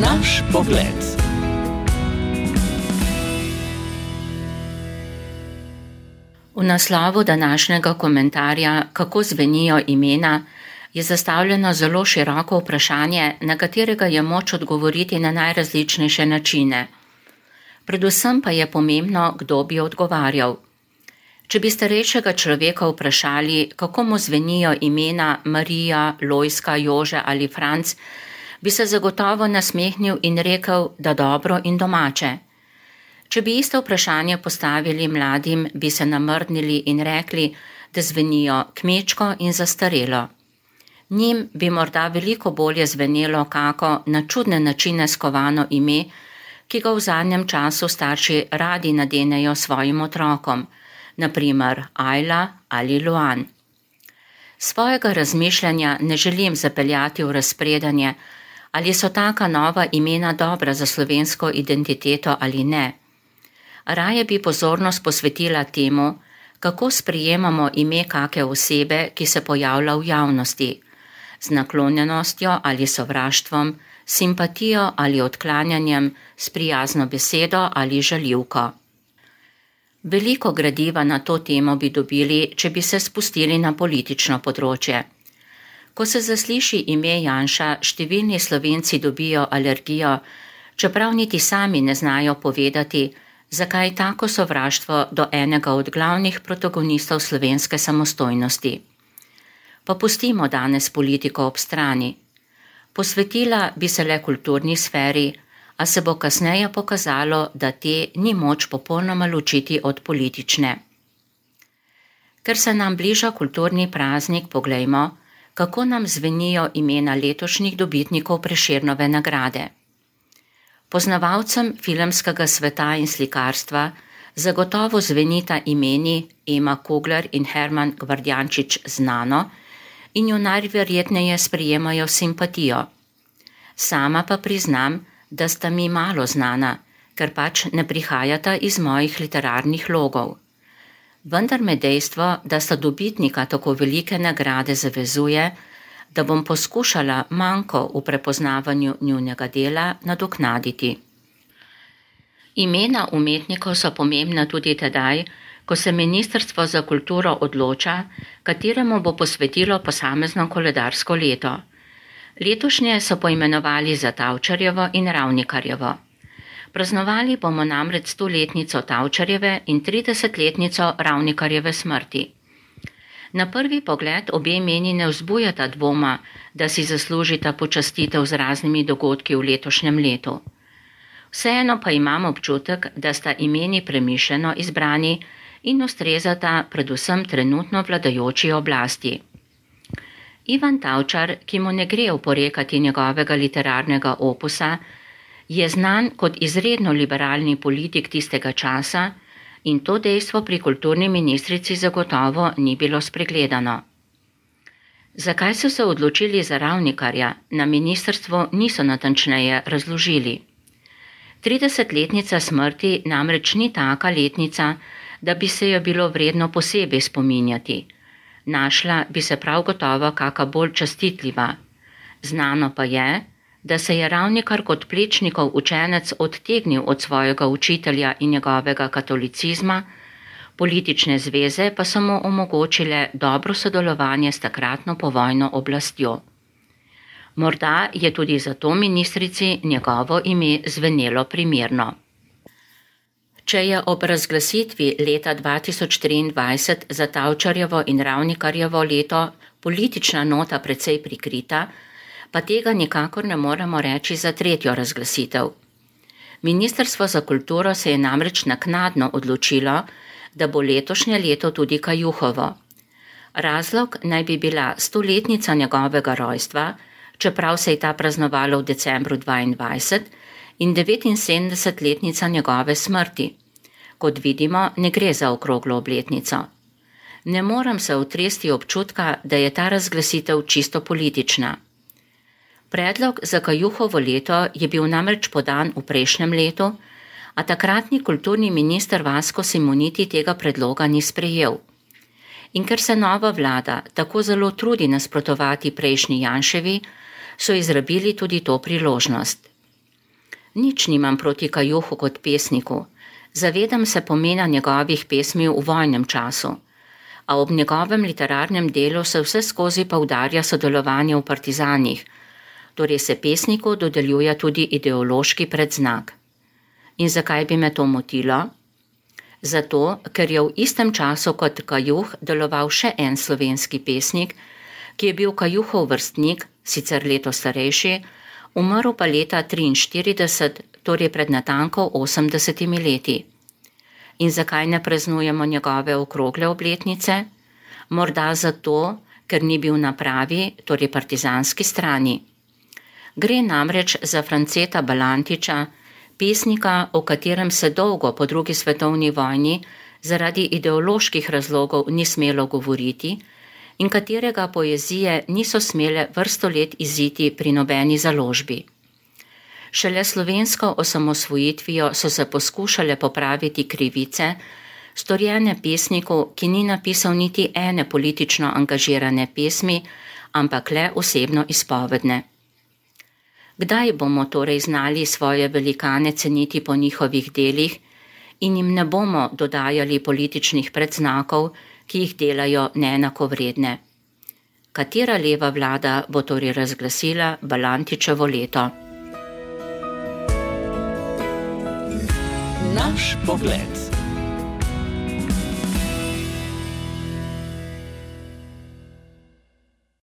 Naš pogled. V naslovu današnjega komentarja Kako zvenijo imena je zastavljeno zelo široko vprašanje, na katerega je moč odgovoriti na najrazličnejše načine. Predvsem pa je pomembno, kdo bi odgovarjal. Če bi starejšega človeka vprašali, kako mu zvenijo imena Marija, Lojzka, Jože ali Franc, bi se zagotovo nasmehnil in rekel, da dobro in domače. Če bi isto vprašanje postavili mladim, bi se namrdnili in rekli, da zvenijo kmečko in zastarelo. Njim bi morda veliko bolje zvenelo kako na čudne načine skovano ime, ki ga v zadnjem času starši radi nadenejo svojim otrokom, na primer Ajla ali Luan. Svojega razmišljanja ne želim zapeljati v razpredanje, ali so taka nova imena dobra za slovensko identiteto ali ne. Raje bi pozornost posvetila temu, kako sprejemamo ime kake osebe, ki se pojavlja v javnosti, z naklonjenostjo ali sovraštvom, simpatijo ali odklanjanjem, s prijazno besedo ali žaljivko. Veliko gradiva na to temo bi dobili, če bi se spustili na politično področje. Ko se zasliši ime Janša, številni Slovenci dobijo alergijo, čeprav niti sami ne znajo povedati, zakaj tako sovraštvo do enega od glavnih protagonistov slovenske samostojnosti. Pa pustimo danes politiko ob strani. Posvetila bi se le kulturni sferi, a se bo kasneje pokazalo, da te ni moč popolnoma ločiti od politične. Ker se nam bliža kulturni praznik, poglejmo, kako nam zvenijo imena letošnjih dobitnikov Prešernove nagrade. Poznavalcem filmskega sveta in slikarstva zagotovo zvenita imeni Ema Kugler in Herman Gvardjančič znano in jo najverjetneje sprejemajo simpatijo. Sama pa priznam, da sta mi malo znana, ker pač ne prihajata iz mojih literarnih logov. Vendar me dejstvo, da sta dobitnika tako velike nagrade zavezuje, da bom poskušala manko v prepoznavanju njunega dela nadoknaditi. Imena umetnikov so pomembna tudi tedaj, ko se Ministrstvo za kulturo odloča, kateremu bo posvetilo posamezno koledarsko leto. Letošnje so poimenovali za Tavčarjevo in Ravnikarjevo. Praznovali bomo namreč 100-letnico Tavčarjeve in 30-letnico Ravnikarjeve smrti. Na prvi pogled obe imeni ne vzbujata dvoma, da si zaslužita počastitev z raznimi dogodki v letošnjem letu. Vseeno pa imam občutek, da sta imeni premišljeno izbrani in ustrezata predvsem trenutno vladajoči oblasti. Ivan Tavčar, ki mu ne gre oporekati njegovega literarnega opusa, je znan kot izredno liberalni politik tistega časa in to dejstvo pri kulturni ministrici zagotovo ni bilo spregledano. Zakaj so se odločili za Ravnikarja, na ministrstvu niso natančneje razložili. 30-letnica smrti namreč ni taka letnica, da bi se jo bilo vredno posebej spominjati. Našla bi se prav gotovo kaka bolj častitljiva. Znano pa je, da se je Ravnikar kot Plečnikov učenec odtegnil od svojega učitelja in njegovega katolicizma, politične zveze pa so mu omogočile dobro sodelovanje s takratno povojno oblastjo. Morda je tudi zato ministrici njegovo ime zvenelo primerno. Če je ob razglasitvi leta 2023 za Tavčarjevo in Ravnikarjevo leto politična nota precej prikrita, pa tega nikakor ne moremo reči za tretjo razglasitev. Ministrstvo za kulturo se je namreč naknadno odločilo, da bo letošnje leto tudi Kajuhovo. Razlog naj bi bila 100-letnica njegovega rojstva, čeprav se je ta praznovala v decembru 2022, in 79-letnica njegove smrti. Kot vidimo, ne gre za okroglo obletnico. Ne morem se otresti občutka, da je ta razglasitev čisto politična. Predlog za Kajuhovo leto je bil namreč podan v prejšnjem letu, a takratni kulturni minister Vasko Simoniti tega predloga ni sprejel. In ker se nova vlada tako zelo trudi nasprotovati prejšnji Janševi, so izrabili tudi to priložnost. Nič nimam proti Kajuhu kot pesniku. Zavedam se pomena njegovih pesmi v vojnem času, a ob njegovem literarnem delu se vseskozi poudarja sodelovanje v partizanih, torej se pesniku dodeljuje tudi ideološki predznak. In zakaj bi me to motilo? Zato, ker je v istem času kot Kajuh deloval še en slovenski pesnik, ki je bil Kajuhov vrstnik, sicer leto starejši, umrl pa leta 1943, torej pred natanko 80 leti. In zakaj ne praznujemo njegove okrogle obletnice? Morda zato, ker ni bil na pravi, torej partizanski strani. Gre namreč za Franceta Balantiča, pesnika, o katerem se dolgo po drugi svetovni vojni zaradi ideoloških razlogov ni smelo govoriti in katerega poezije niso smele vrsto let iziti pri nobeni založbi. Šele slovensko osamosvojitvijo so se poskušale popraviti krivice, storjene pesniku, ki ni napisal niti ene politično angažirane pesmi, ampak le osebno izpovedne. Kdaj bomo torej znali svoje velikane ceniti po njihovih delih in jim ne bomo dodajali političnih predznakov, ki jih delajo neenakovredne? Katera leva vlada bo torej razglasila Balantičevo leto? Naš pogled.